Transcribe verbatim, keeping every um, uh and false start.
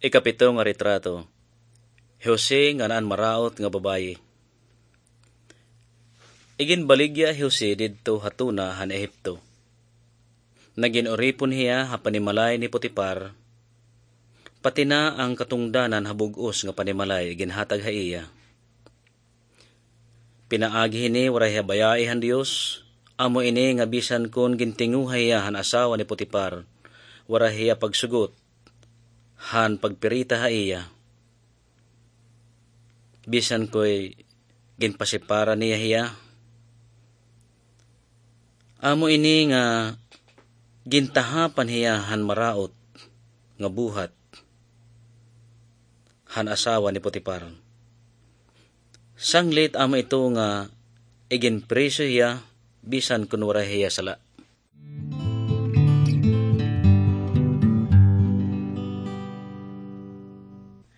Ikapito nga retrato. Jose ngan an maraot nga babaye. Iginbaligya hi Jose didto ha tuna han Ehipto. Nagin-uripon hiya ha panimalay ni Potipar, pati na an katungdanan ha bug-os nga panimalay iginhatag ha iya. Pinaagi hini waray hiya bayai han Dios, amo ini nga bisan kon gintinguha hiya han asawa ni Potipar, waray hiya pagsugot han pagpirita ha iya. Bisan ko'y ginpasipara niya hiya. Amo ini nga gintahapan hiya han maraot nga buhat han asawa ni Potipar. Sanglit amo ito nga iginpriso hiya bisan kun waray hiya sala.